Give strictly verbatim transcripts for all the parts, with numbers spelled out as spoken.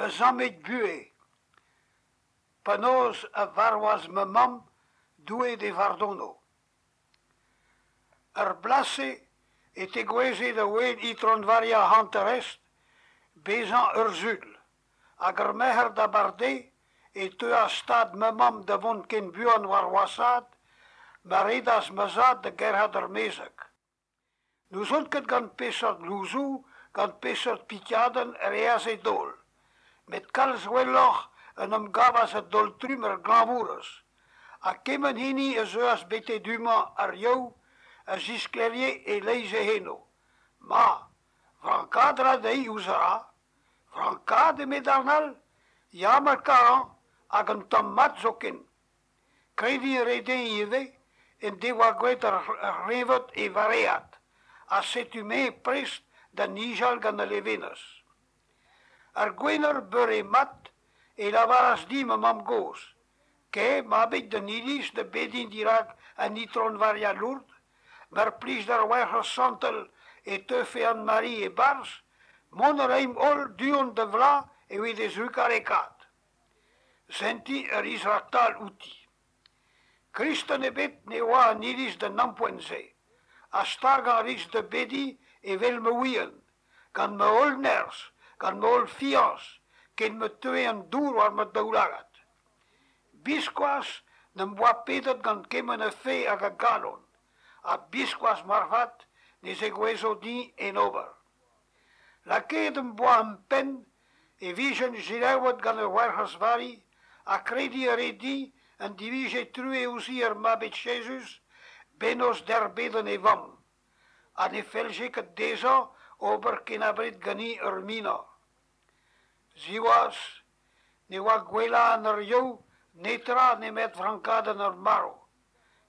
Zammig buhez. Penaos e varvas ma mamm, Doue d'he fardono. Er bloaz-se e tegouezhe da ouel Itron Varia Hanter-Est bezañ ur Sul, hag ar Merc'her d'abardaez e teuas stad ma mamm da vont ken buan war washaat ma redas ma zad da gerc'hat ur mezeg. N'ouzon ket gant peseurt louzoù, gant peseurt pikadenn e reas e daol, met kalz gwelloc'h en em gavas a-daol-trumm ar glañvourez, ha kement hini a zeuas betek du-mañ ar Yaou a zisklêrie e-leizh e c'henoù. Ma, frankaat a ra dezhi ouzh a ra. Frankaat, eme darn all? Ya, mar karan, hag un tamm mat zoken. Krediñ a rae dezhi ivez en devoa graet ar c'hleñved e varead, ha setu-me prest da nijal gant al levenez. Ar Gwener beure mat e lavaras din ma mamm-gozh: Kae, mabig, d'an iliz da bediñ dirak an Itron Varia Lourd, mar plij d'ar Werc'hez Santel e teufe Anne-Marie e-barzh, mont a raimp holl du-hont da vloaz evit he zrugarekaat. Sentiñ a ris raktal outi. Kristen ebet ne oa en iliz d'an ampoent-se, ha stagañ a ris da bediñ evel ma ouien, gant ma holl nerzh, gant ma holl fiañs, ken ma teue an dour war ma daoulagad. Biskoazh n'em boa pedet gant kement a fae hag a galon, ha biskoazh moarvat ne zegouezho din en ober. Lakaet em boa em penn e vijen selaouet gant ar Werc'hez Vari ha krediñ a rae din en divije truez ouzhin ar Mabig Jezuz, bennozh d'erbedenn e vamm, ha ne fellje ket dezhañ ober ken abred ganin ur minor. Siwazh, ne oa gwellañ ar Yaou netra nemet frankadenn ar marv,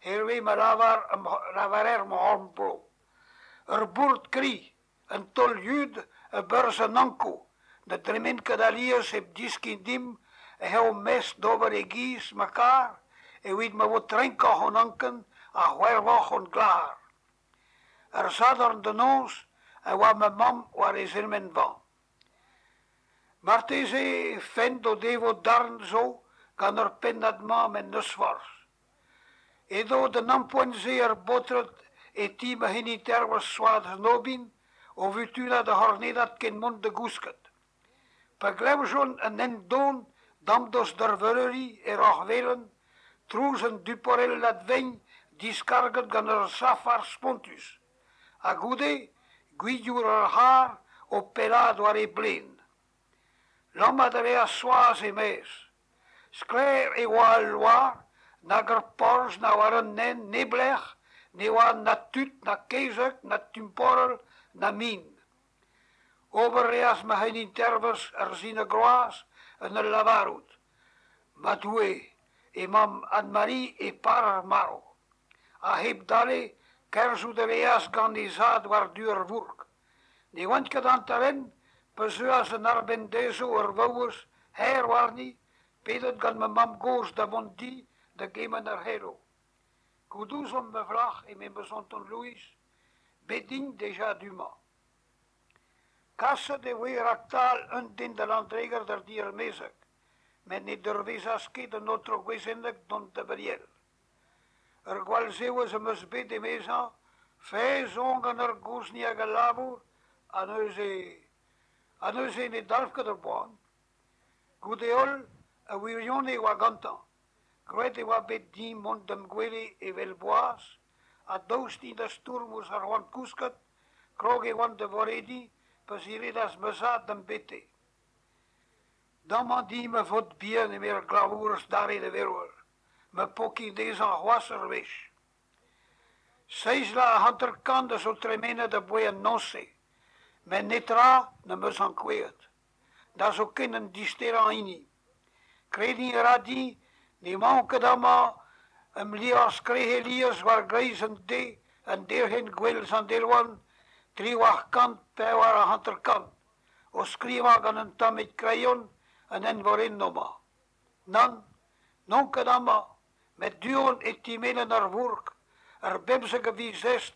hervez ma lavar lavarer em c'horn-bro. Ur bourd kri, un taol-yud a-berzh an Ankou, ne dremen ket alies hep deskiñ dimp eh eo mestr d'ober e-giz ma kar evit ma vo trenkoc'h hon anken ha c'hwervoc'h hon glac'har. Ar Sadorn da noz e oa ma mamm war he zremenvan. Marteze fent o devo darn zo gant ar pennad-mañ met n'eus forzh. Edo d'an ampoent-se ar baotred e ti ma c'heniterv Soaz Nobin o vutunat ar c'hornedad kent mont da gousket. Pa glevjont an hent don damdost d'ar veuleuri e Roc'h-Velen, trouz un duporellad vein diskarget gant ur safar spontus, ha goude gwilhour ar c'harr o pellaat war e blen. Lammat a reas Soaz e-maez. Sklaer e oa al loar, nag er porzh na war an hent neblec'h ne oa na tud na kezeg na tumporell na min. Ober a reas ma c'henitervez ur sin a groaz en ul lavarout: Ma Doue, emañ Anne-Marie e par ar marv. Ha hep dale, kerzhout a reas gant he zad war-du ar vourk. Ne oant ket hanter-hent pa zeuas en arbenn dezho ur vaouez herr warni, pedet gant ma mamm-gozh da vont di da gemenn ar c'heloù. Goût ouzon ma flac'h, eme ma zonton Louis, bet int dija du-mañ. Kaset e voe raktal un den da Landreger d'ar diarmezeg, met ne deurvezas ket an aotrou Gwezenneg dont da Briel. Ur gwall zevezh am eus bet, emezañ, faezh on gant ar gozhni hag al labour, ha neuze ha neuze ne dalv ket ar boan. Goude-holl, ar wirionez e oa gantañ. Graet e oa bet din mont da'm gwele evel boaz, ha daoust din da stourm ouzh ar c'hoant kousket, krog e oan da vorediñ pa ziredas ma zad da'm bete. Damañ din ma faotr bihan, eme ar glañvourez dare da vervel, ma pokin dezhañ c'hoazh ur wech. Seizh vloaz ha hanter-kant a zo tremenet aboae an noz-se, met netra n'am eus ankouaet, na zoken an disterañ hini. Krediñ a ra din n'emaon ket amañ em liorzh Krec'helies war-greiz an deiz en derc'hent Gouel Sant-Erwan triwec'h kant pevar ha hanter-kant, o skrivañ gant un tammig kreion an eñvorennoù-mañ. Nann, n'on ket amañ, met du-hont e ti-melen ar vourk, ar bemzek a viz Est,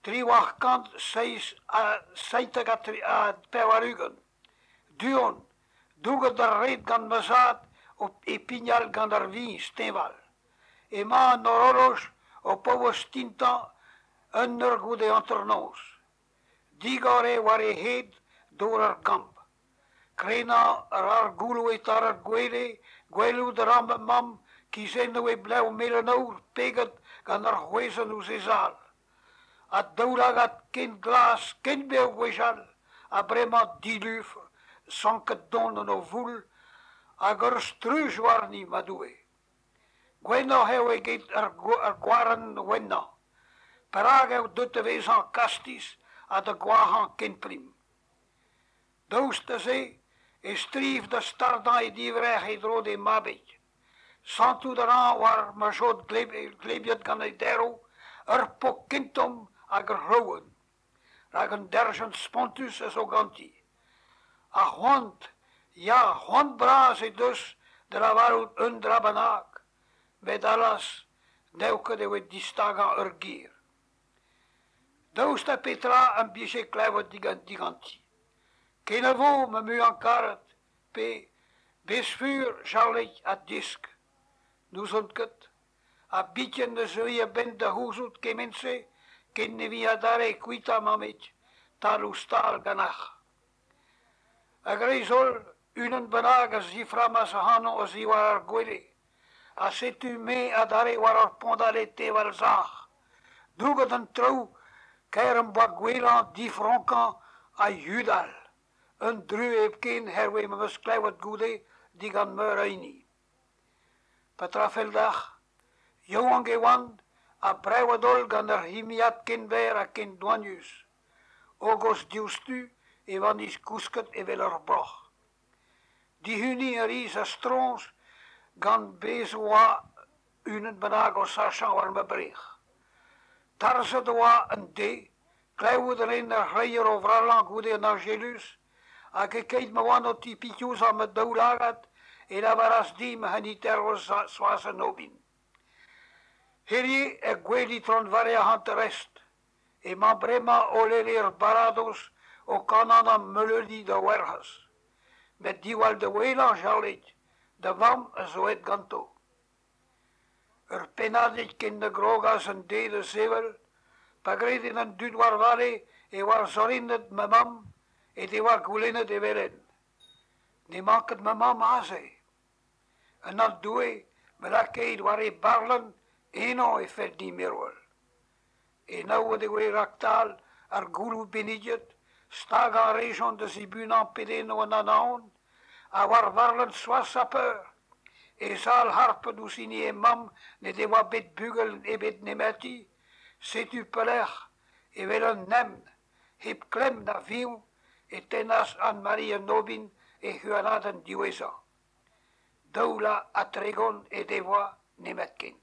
triwec'h kant seizh ha seitek ha pevar-ugent. Du-hont, Douget d'ar red gant ma zad e pignal gant ar viñs teñval. Emañ an horoloj o paouez tintañ un eur goude hanternoz. Digor eo war e hed dor ar gambr. Krenañ a ra ar gouloù e-tal ar gwele, gwelout a ra ma mamm kizennoù he blev melen-aour peget gant ar c'hwezenn ouzh he zal. Ha daoulagad ken glas, ken bev gwechall, ha bremañ dilufr, sanket don en o voul, hag ur struj warni, ma Doue. Gwennoc'h eo eget ar gwarenn wennañ. Perak eo deuet da vezañ kastiz ha da goazhañ ken prim? Daoust da se e striv da stardañ he divrec'h en-dro d'he mabig. Santout a ran war ma jod glebiet gant he daeroù ur pok ken tomm hag ur c'hlouenn. Rak un derzhienn spontus a zo ganti. Ha c'hoant, ya, c'hoant bras he deus da lavarout un dra bennak, met allaz, n'eo ket evit distagañ ur ger. Daoust ha petra am bije klevet diganti? Kenavo, ma muiañ-karet, pe bez fur, Charlig, ha disk. N'ouzon ket. Ha biken ne zeui a-benn da c'houzout kement-se ken ne vi adarre kuita, mammig, tal-ouzh-tal ganeoc'h. A-greiz-holl, unan bennak a ziframmas ac'hanon a-ziwar ar gwele. Ha setu me adarre war ar pondale teñval-sac'h. Douget an traoù, kaer am boa gouelañ, difronkañ ha yudal. Un druez hepken hervez ma 'm eus klevet goude digant meur a hini. Petra 'fell deoc'h? Yaouank e oan ha brevet-holl gant ur c'himiad ken berr ha ken doanius. Hogos diouzhtu e vanis kousket evel ur broc'h. Dihuniñ a ris a-stroñs gant bez' oa unan bennak o sachañ war ma brec'h. Tarzhet e oa an deiz, klevout a rin ar c'hleier o vrallañ goude an Añjeluz, hag e-keit ma oan o tipitouzañ ma daoulagad e lavaras din ma c'heniterv Soaz an Aubin. Hiziv er gwel Itron Varia Hanter-Est. Emañ bremañ holl er baradoz o kanañ ar meuleudi da Werc'hez. Met diwall da ouelañ, Charlig, da vamm a zo aet ganto. Ur pennadig ken na grogas an deiz da sevel, pa grede an dud war vale e oa zorrinet ma mamm he devoa goulennet evel-henn. N'emañ ket ma mamm aze. En anv Doue, ma lakait war he barlenn, eno e fell din mervel. Enaouet e voe raktal ar gouloù benniget, stagañ a rejont da zibunañ pedennoù an Anaon, ha war varlenn Soaz Sapeur, he zal harpet ouzh hini he mamm n'he devoa bet bugel ebet nemeti, setu pelec'h, evel un evn, hep klemm na fiñv, e tennas Anne-Marie an Aubin he huanadenn diwezhañ. Daou vloaz ha tregont he devoa nemetken.